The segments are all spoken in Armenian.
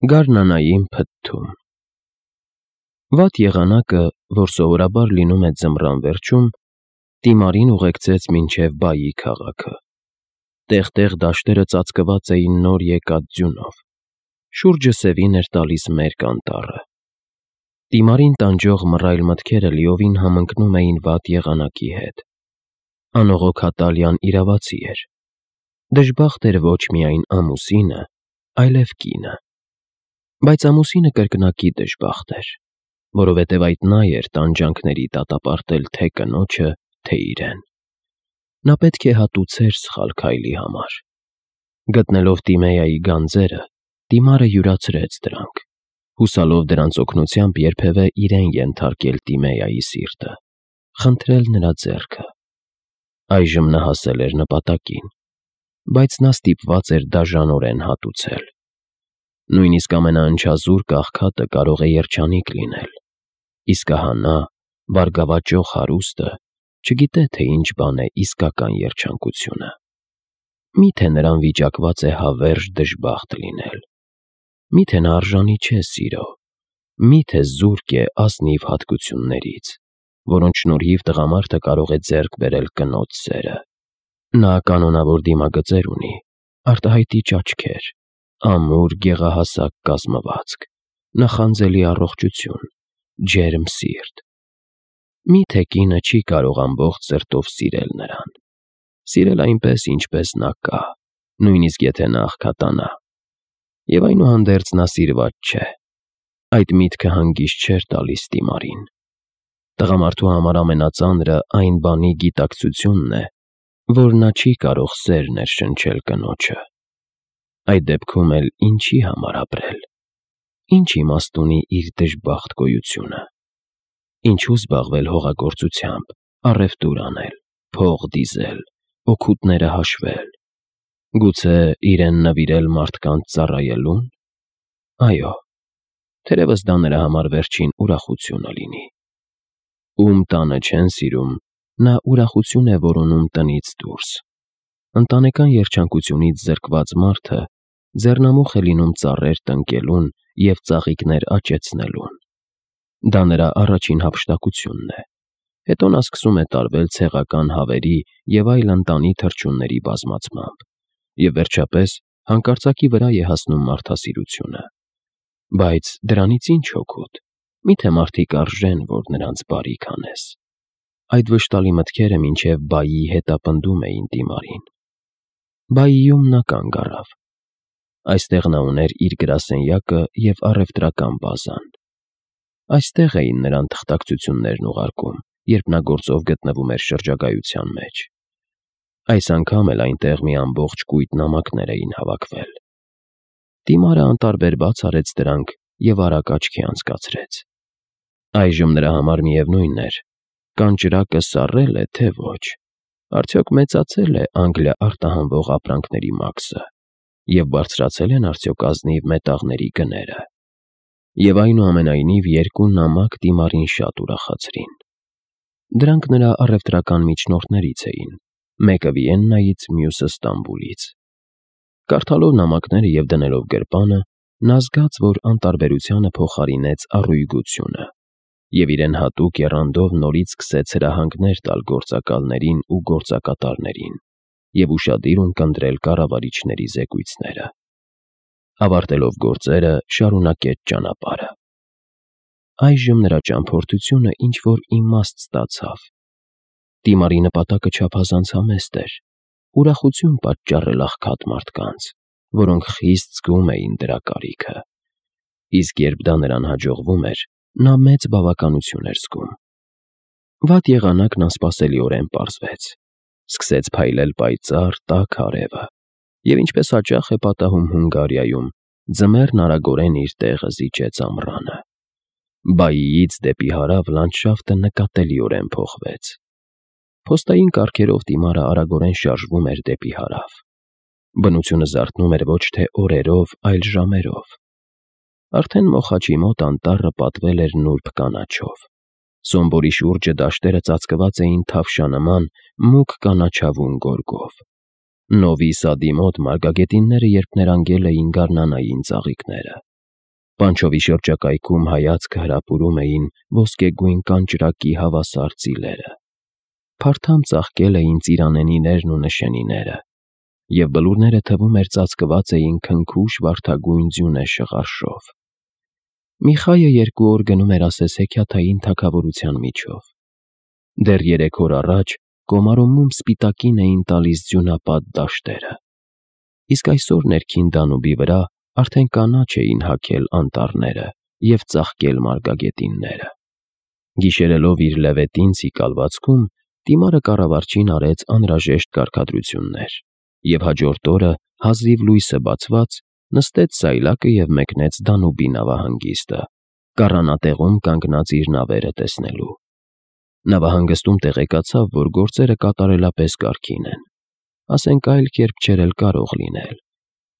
Գարնանային փթթում։ Վատ եղանակը, որ սովորաբար լինում է ձմռան վերջում, Տիմարին ուղեկցեց մինչև Բայի քաղաքը։ Տեղ-տեղ դաշտերը ծածկված էին նոր եկած ձյունով, շուրջը սևին էր տալիս մերկ անտառը։ Տիմարին տանջող մռայլ մտքերը լիովին համընկնում էին վատ եղանակի հետ։ Անողոք Ատալիան իրավացի էր։ Դժբախտ էր ոչ միայն ամուսինը, այլև կինը։ Բայց ամուսինը կրկնակի դժբախտ էր, որովհետև այդ նա էր տանջանքների դատապարտել թե կնոջը, թե իրեն։ Նա պետք է հատուցեր սխալ քայլի համար։ Գտնելով Տիմեայի գանձերը, Տիմարը յուրացրեց դրանք, հուսալով դրանց օգնությամբ երբևէ իրեն ենթարկել Տիմեայի սիրտը, խնդրել նրա ձեռքը։ Այժմ նա հասել էր նպատակին, բայց նա ստիպված էր դաժանորեն հատուցել։ Նույնիսկ ամենաընչազուրկ աղքատը կարող է երջանիկ լինել, իսկ ահա նա, բարգավաճող հարուստը, չգիտե, թե ինչ բան է իսկական երջանկությունը։ Մի՞թե նրան վիճակված է հավերժ դժբախտ լինել։ Մի՞թե նա արժանի չէ սիրո, մի՞թե զուրկ է ազնիվ հատկություններից, որոնց շնորհիվ տղամարդը կարող է ձեռք բերել կնոջ սերը։ Նա կանոնավոր դիմագծեր ունի, արտահայտիչ աչքեր, ամուր գեղահասակ կազմվածք, նախանձելի առողջություն, ջերմ սիրտ։ Մի՞թե կինը չի կարող ամբողջ սրտով սիրել նրան, սիրել այնպես, ինչպես նա կա, նույնիսկ եթե նա աղքատանա։ Եվ այնուհանդերձ նա սիրված չէ։ Այդ միտքը հանգիստ չէր տալիս Տիմարին։ Տղամարդու համար ամենածանրը այն բանի գիտակցությունն է, որ նա չի կարող սեր ներշնչել կնոջը։ Այդ դեպքում էլ ինչի համար ապրել։ Ինչ իմաստ ունի իր դժբախտ գոյությունը։ Ինչու զբաղվել հողագործությամբ, առևտուր անել, փող դիզել, օգուտները հաշվել։ Գուցե իրեն նվիրել մարդկանց ծառայելո՞ւն։ Այո, թերևս դա նրա համար վերջին ուրախությունը լինի։ Ում տանը չեն սիրում, նա ուրախություն է որոնում տնից դուրս։ Ընտանեկան երջանկությունից զրկված մարդը ձեռնամուխ է լինում ծառեր տնկելուն և ծաղիկներ աճեցնելուն։ Դա նրա առաջին հափշտակությունն է։ Հետո նա սկսում է տարվել ցեղական հավերի և այլ ընտանի թռչունների բազմացմամբ, և վերջապես հանկարծակի վրա է հասնում մարդասիրությունը։ Բայց դրանից ի՞նչ օգուտ։ Մի՞թե մարդիկ արժեն, որ նրանց բարիք անես։ Այդ վշտալի մտքերը մինչև Բայի հետապնդում էին Տիմարին։ Բայիում նա կանգ առավ։ Այստեղ նա ուներ իր գրասենյակը և առևտրական բազան։ Այստեղ էին նրան թղթակցություններն ուղարկում, երբ նա գործով գտնվում էր շրջագայության մեջ։ Այս անգամ էլ այնտեղ մի ամբողջ կույտ նամակներ էին հավաքվել։ Տիմարը անտարբեր բաց արեց դրանք և արագ աչքի անցկացրեց։ Այժմ նրա համար միևնույն էր՝ կանճրակը սառել է, թե ոչ, արդյոք մեծացել է Անգլիա արտահանվող ապրանքների մաքսը, և բարձրացել են արդյոք ազնիվ մետաղների գները։ Եվ այնուամենայնիվ երկու նամակ Տիմարին շատ ուրախացրին։ Դրանք նրա առևտրական միջնորդներից էին, մեկը Վիեննայից, մյուսը Ստամբուլից։ Կարդալով նամակները և դնելով գրպանը, նա զգաց, որ անտարբերությանը փոխարինեց առույգությունը, և իրեն հատուկ եռանդով նորից սկսեց հրահանգներ տալ գործակալներին ու գործակատարներին և ուշադիր ունկնդրել կառավարիչների զեկույցները։ Ավարտելով գործերը, շարունակեց ճանապարհը։ Այժմ նրա ճամփորդությունը ինչ-որ իմաստ ստացավ։ Տիմարի նպատակը չափազանց համեստ էր՝ ուրախություն պատճառել աղքատ մարդկանց, որոնք խիստ զգում էին դրա կարիքը։ Իսկ երբ դա նրան հաջողվում էր, նա մեծ բավականություն էր զգում։ Վատ եղանակն անսպասելիորեն պարզվեց։ Սկսեց փայլել պայծառ, տաք արևը, և ինչպես հաճախ է պատահում Հունգարիայում, ձմեռն արագորեն իր տեղը զիջեց ամռանը։ Բայիից դեպի հարավ լանդշաֆտը նկատելիորեն փոխվեց։ Փոստային կառքերով Տիմարը արագորեն շարժվում էր դեպի հարավ։ Բնությունը զարթնում էր ոչ թե օրերով, այլ ժամերով։ Արդեն Մոխաչի մոտ անտառը պատվել էր նուրբ կանաչով։ Սոմբորի շուրջը դաշտերը ծածկված էին թավշանման, մուգ կանաչավուն գորգով։ Նովի Սադի մոտ մարգագետինները երբ ներանգել էին գարնանային ծաղիկները։ Պանչովի շրջակայքում հայացքը հրապուրում էին ոսկեգույն կանճրակի հավասար ծիլերը, փարթամ ծաղկել էին ծիրանենիներն ու նշանիները, և բլուրները թվում էր ծածկված էին քնքուշ վարդագույն ձյունե շղարշով։ Միխայը 2 օր գնում էր ասես-հեքիաթային թագավորության միջով։ Դեռ 3 օր առաջ Կոմարոմում սպիտակին էին տալիս ձյունապատ դաշտերը, իսկ այսօր ներքին Դանուբի վրա արդեն կանաչ էին հագել անտառները և ծաղկել մարգագետինները։ Գիշերելով իր լևետին ցիկալվածքում, Տիմարը կառավարչին արեց անհրաժեշտ կարգադրություններ, և հաջորդ օրը, հազիվ լույսը բացված, նստեց սայլակը և մեկնեց Դանուբի նավահանգիստը, կառանատեղում կանգնած իր նավերը տեսնելու։ Նավահանգստում տեղեկացավ, որ գործերը կատարելապես կարգին են, ասենք այլ կերպ չէր էլ կարող լինել,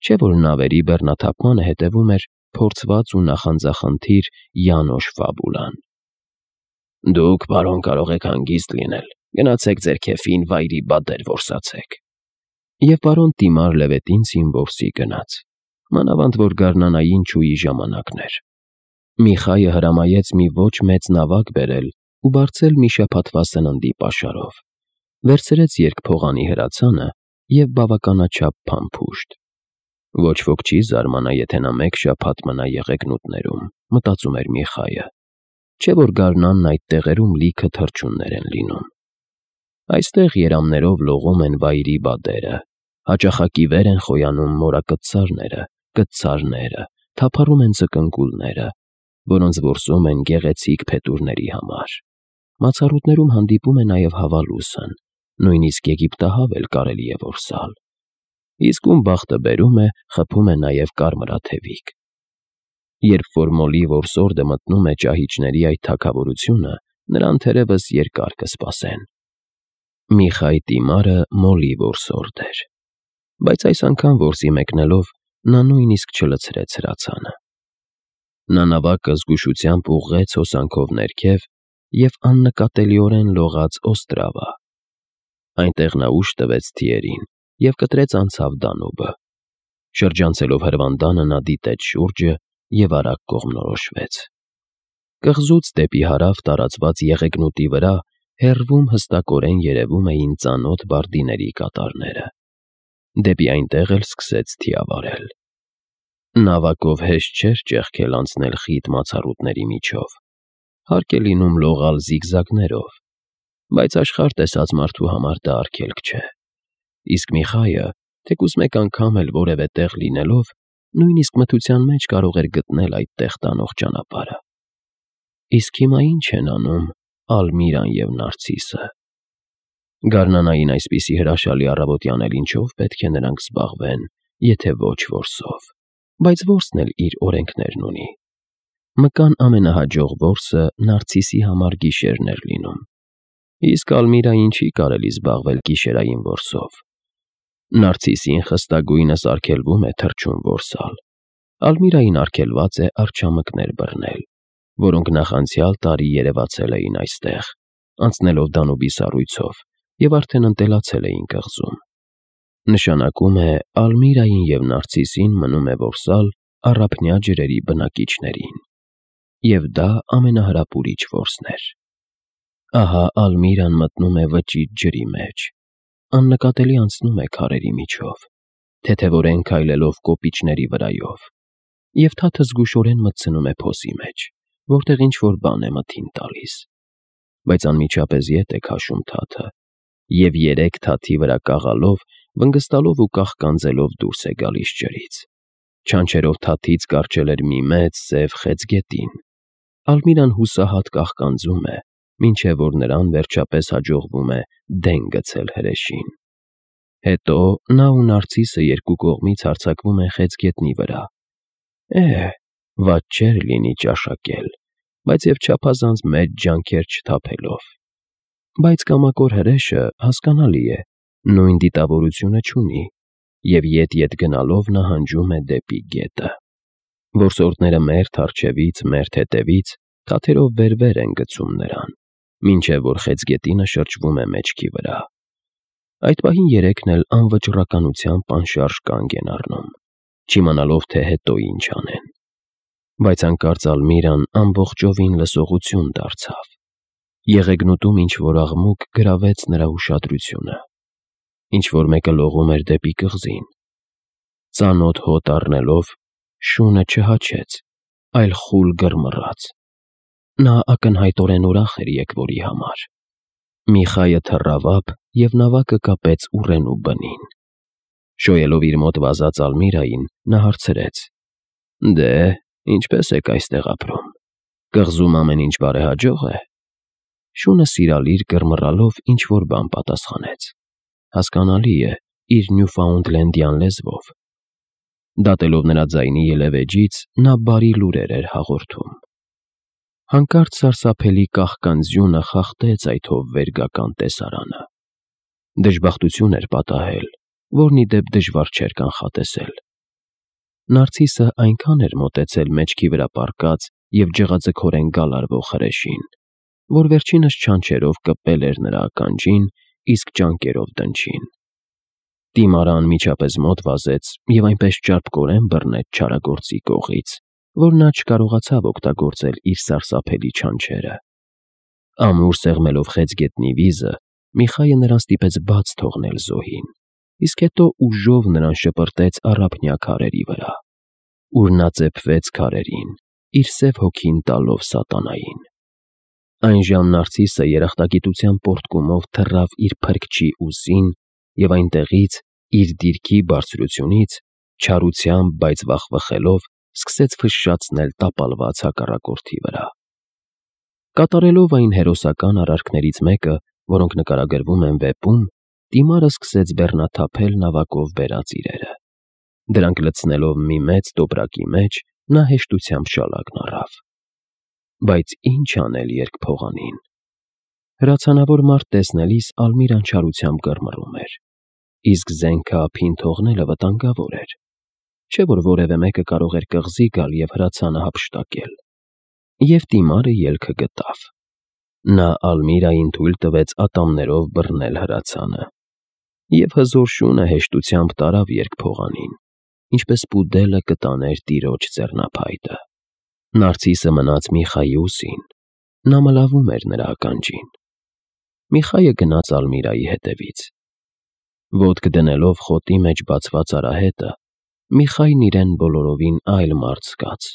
չէ՞ որ նավերի բեռնաթափմանը հետևում էր փորձված ու նախանձախնդիր Յանոշ Ֆաբուլան։ «Դուք, պարոն, կարող եք հանգիստ լինել, գնացեք ձեր քեֆին վայրի բադեր որսացեք»։ Եվ պարոն Տիմար Լևետինցին որսի գնաց, մանավանդ որ գարնանային չուի ժամանակն էր։ Միխայը հրամայեց մի ոչ մեծ նավակ բերել ու բարձել մի շաբաթվա սննդի պաշարով, վերցրեց երկփողանի հրացանը և բավականաչափ փամփուշտ։ Ոչ ոք չի զարմանա, եթե նա 1 շաբաթ մնա Եղեգնուտներում, մտածում էր Միխայը, չէ՞ որ գարնանն այդ տեղերում լիքը թռչուններ են լինում։ Այստեղ երամներով լողում են վայրի բադերը, հաճախակի վեր են խոյանում մորակտցարները, կտցարները, թափառում են զկնկուլները, որոնց որսում են գեղեցիկ փետուրների համար։ Մացառուտներում հանդիպում է նաև հավալուսն, նույնիսկ եգիպտահավ էլ կարելի է որսալ։ Իսկ ում բախտը բերում է, խփում է նաև կարմրաթևիկ։ Երբ որ մոլի որսորդը մտնում է ճահիճների այդ թագավորությունը, նրան թերևս երկար կսպասեն։ Միխայ Տիմարը մոլի որսորդ էր, բայց այս անգամ որսի մեկնելով նա նույնիսկ չլցրեց հրացանը։ Նա նավակը զգուշությամբ ուղղեց հոսանքով ներքև և աննկատելիորեն լողաց Օստրավա։ Այնտեղ նա ուժ տվեց թիերին և կտրեց անցավ Դանուբը։ Շրջանցելով հրվանդանը նա դիտեց շուրջը և արագ կողմնորոշվեց։ Կղզուց դեպի հարավ տարածված Եղեգնուտի վրա հեռվում հստակորեն երևում էին ծանոթ բարդիների կատարները։ Դեպի այնտեղ էլ սկսեց թիավարել։ Նավակով հեշտ չէր ճեղքել անցնել խիտ մացառուտների միջով, հարկ է լինում լողալ զիգզագներով, բայց աշխարհ տեսած մարդու համար դա արգելք չէ։ Իսկ Միխայը, թեկուզ մեկ անգամ էլ որևէ տեղ լինելով, նույնիսկ մթության մեջ կարող էր գտնել այդ տեղ տանող ճանապարհը։ Իսկ հիմա ի՞նչ են անում Ալմիրան և Նարցիսը։ Գարնանային այսպիսի հրաշալի առավոտյան էլ ինչով պետք է նրանք զբաղվեն, եթե ոչ որսով, բայց որսն էլ իր օրենքներն ունի։ Մկան ամենահաջող որսը Նարցիսի համար գիշերն էր լինում, իսկ Ալմիրային չի կարելի զբաղվել գիշերային որսով։ Նարցիսին խստագույնս արգելվում է թռչուն որսալ, Ալմիրային արգելված է արջամկներ բռնել, որոնք նախանցյալ տարի երևացել էին այստեղ, անցնելով Դանուբի սառույցով և արդեն ընտելացել էին կղզում։ Նշանակում է Ալմիրային և Նարցիսին մնում է որսալ առափնյա ջրերի բնակիչներին։ Եվ դա ամենահրապուրիչ որսն էր։ Ահա Ալմիրան մտնում է վճիտ ջրի մեջ, աննկատելի անցնում է քարերի միջով, թեթևորեն քայլելով կոպիճների վրայով, և թաթը զգուշորեն մտցնում է փոսի մեջ, որտեղ ինչ-որ բան է մթին տալիս։ Բայց անմիջապես ետ է քաշում թաթը, և 3 թաթի վրա կաղալով, վնգստալով ու կաղկանձելով դուրս է գալիս ջրից։ Չանչերով թաթից կառչել էր մի մեծ սև խեցգետին։ Ալմիրան հուսահատ կաղկանձում է, մինչև որ նրան վերջապես հաջողվում է դեն գցել հրեշին։ Հետո նա ու Նարցիսը երկու կողմից հարձակվում են խեցգետնի վրա։ Վատ չէր լինի ճաշակել, բայց և չափազանց մեծ ջանքեր չթափելով։ Բայց կամակոր հրեշը, հասկանալի է, նույն դիտավորությունը չունի, և ետ-ետ գնալով նահանջում է դեպի գետը։ Որսորդները մերթ առջևից, մերթ հետևից թաթերով վեր են գցում նրան, մինչև որ խեցգետինը շրջվում է մեջքի վրա։ Այդ պահին երեքն էլ անվճռականությամբ անշարժ կանգ են առնում, չիմանալով, թե հետո ինչ անեն։ Բայց հանկարծ Ալմիրան ամբողջովին լսողություն դարձավ։ Եղեգնուտում ինչ-որ աղմուկ գրավեց նրա ուշադրությունը։ Ինչ-որ մեկը լողում էր դեպի կղզին։ Ծանոթ հոտ առնելով, շունը չհաչեց, այլ խուլ գրմռաց։ Նա ակնհայտորեն ուրախ էր եկվորի համար։ Միխայը թռավ ափ և նավակը կապեց ուռենու բնին։ Շոյելով իր մոտ վազած Ալմիրային, նա հարցրեց. «Դե, ինչպե՞ս եք այստեղ ապրում։ Կղզում ամեն ինչ բարեհաջող է»։ Շունը սիրալիր կռմռալով ինչ-որ բան պատասխանեց։ Հասկանալի է, իր նյուֆաունդլենդյան լեզվով։ Դատելով նրա ձայնի ելևէջից, նա բարի լուրեր էր հաղորդում։ Հանկարծ սարսափելի կաղկան ձյունը խախտեց այդ հովվերգական տեսարանը։ Դժբախտություն էր պատահել, որն ի դեպ դժվար չէր կանխատեսել։ Նարցիսը այնքան էր մոտեցել մեջքի վրա պառկած և ջղաձգորեն գալարվող հրեշին, որ վերջինս չանչերով կպել էր նրա ականջին, իսկ ճանկերով դնչին։ Տիմարը անմիջապես մոտ վազեց և այնպես ճարպկորեն բռնեց չարագործի կողից, որ նա չկարողացավ օգտագործել իր սարսափելի չանչերը։ Ամուր սեղմելով խեցգետնի վիզը, Միխայը նրան ստիպեց բաց թողնել զոհին, իսկ հետո ուժով նրան շպրտեց առափնյա քարերի վրա, ուր նա ծեփվեց քարերին, իր սև հոգին տալով սատանային։ Այնժամ Նարցիսը երախտագիտության պոռթկումով թռավ իր փրկչի ուսին և այնտեղից, իր դիրքի բարձրությունից, չարությամբ, բայց վախվխելով, սկսեց ֆշշացնել տապալված հակառակորդի վրա։ Կատարելով այն հերոսական արարքներից մեկը, որոնք նկարագրվում են վեպում, Տիմարը սկսեց բեռնաթափել նավակով բերած իրերը։ Դրանք լցնելով մի մեծ տոպրակի մեջ, նա հեշտությամբ շալակն առավ։ Բայց ինչ անել երկփողանին։ Հրացանավոր մարդ տեսնելիս Ալմիրան չարությամբ կռմռում էր, իսկ զենքը ափին թողնելը վտանգավոր էր, չէ՞ որ որևէ մեկը կարող էր կղզի գալ և հրացանը հափշտակել։ Եվ Տիմարը ելքը գտավ։ Նա Ալմիրային թույլ տվեց ատամներով բռնել հրացանը, և հզոր շունը հեշտությամբ տարավ երկփողանին, ինչպես պուդելը կտաներ տիրոջ ձեռնափայտը։ Նարցիսը մնաց Միխայի ուսին։ Նա մլավում էր նրա ականջին։ Միխայը գնաց Ալմիրայի հետևից։ Ոտք դնելով խոտի մեջ բացված արահետը, Միխային իրեն բոլորովին այլ մարդ զգաց։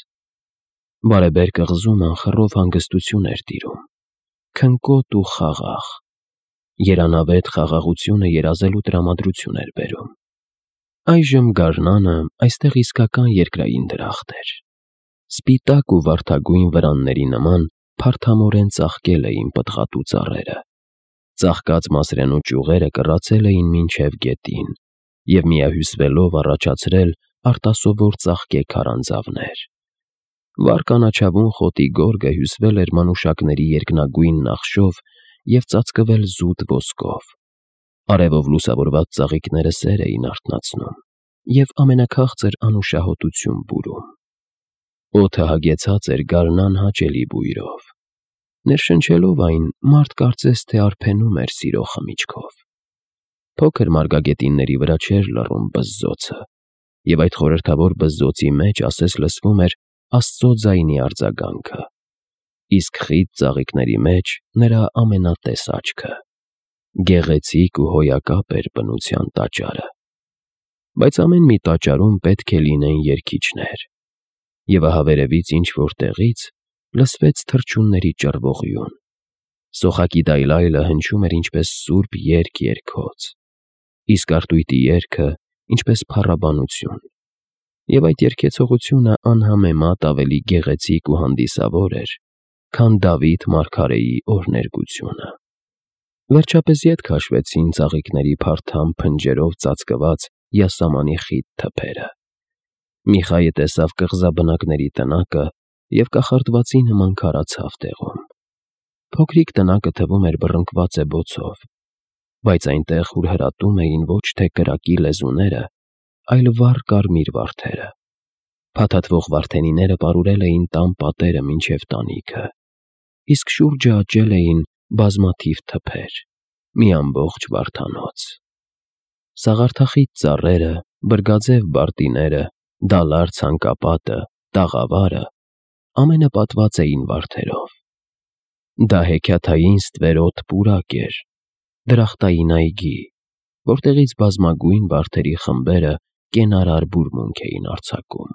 Բարեբեր կղզում անխռով հանգստություն էր տիրում, քնկոտ ու խաղաղ։ Երանավետ խաղաղությունը երազելու տրամադրություն էր բերում։ Այժմ գարնանը այստեղ իսկական երկրային դրախտ էր։ Սպիտակ ու վարդագույն վրանների նման փարթամորեն ծաղկել էին պտղատու ծառերը։ Ծաղկած մասրենու ճյուղերը կռացել էին մինչև գետին և միահյուսվելով առաջացրել արտասովոր ծաղկե քարանձավներ։ Վառ կանաչավուն խոտի գորգը հյուսվել էր մանուշակների երկնագույն նախշով և ծածկվել զուտ ոսկով։ Արևով լուսավորված ծաղիկները սեր էին արթնացնում և ամենաքաղցր անուշահոտություն բուրում։ Օդը հագեցած էր գարնան հաճելի բույրով։ Ներշնչելով այն, մարդ կարծես թե արբենում էր սիրո խմիչքով։ Փոքր մարգագետինների վրա չէր լռում բզզոցը, և այդ խորհրդավոր բզզոցի մեջ ասես լսվում էր Աստծո ձայնի արձագանքը, իսկ խիտ ծաղիկների մեջ նրա ամենատես աչքը։ Գեղեցիկ ու հոյակապ էր բնության տաճարը։ Բայց ամեն մի տաճարում պետք է լինեն երգիչներ։ Եվ ահա վերևից ինչ-որ տեղից լսվեց թռչունների ճռվողյուն։ Սոխակի դայլայլը հնչում էր ինչպես սուրբ երգ երգոց, իսկ արտույտի երգը ինչպես փառաբանություն, և այդ երգեցողությունը անհամեմատ ավելի գեղեցիկ ու հանդիսավոր էր, քան Դավիթ մարգարեի օրհներգությունը։ Վերջապես ետ քաշվեցին ծաղիկների փարթամ փնջերով ծածկված յասամանի խիտ թփերը։ Միխայը տեսավ կղզաբնակների տնակը և կախարդվածի նման քարացավ տեղում։ Փոքրիկ տնակը թվում էր բռնկված է բոցով, բայց այնտեղ հուրհրատում էին ոչ թե կրակի լեզուները, այլ վառ կարմիր վարդերը։ Փաթաթվող վարդենիները պարուրել էին տան պատերը մինչև տանիքը, իսկ շուրջը աճել էին բազմաթիվ թփեր, մի ամբողջ վարդանոց։ Սաղարթախիտ ծառերը, բրգաձև բարտիները, դալար ցանկապատը, տաղավարը ամենը պատված էին վարդերով։ Դա հեքիաթային ստվերոտ պուրակ էր, դրախտային այգի, որտեղից բազմագույն վարդերի խմբերը կենարար բուրմունք էին արձակում։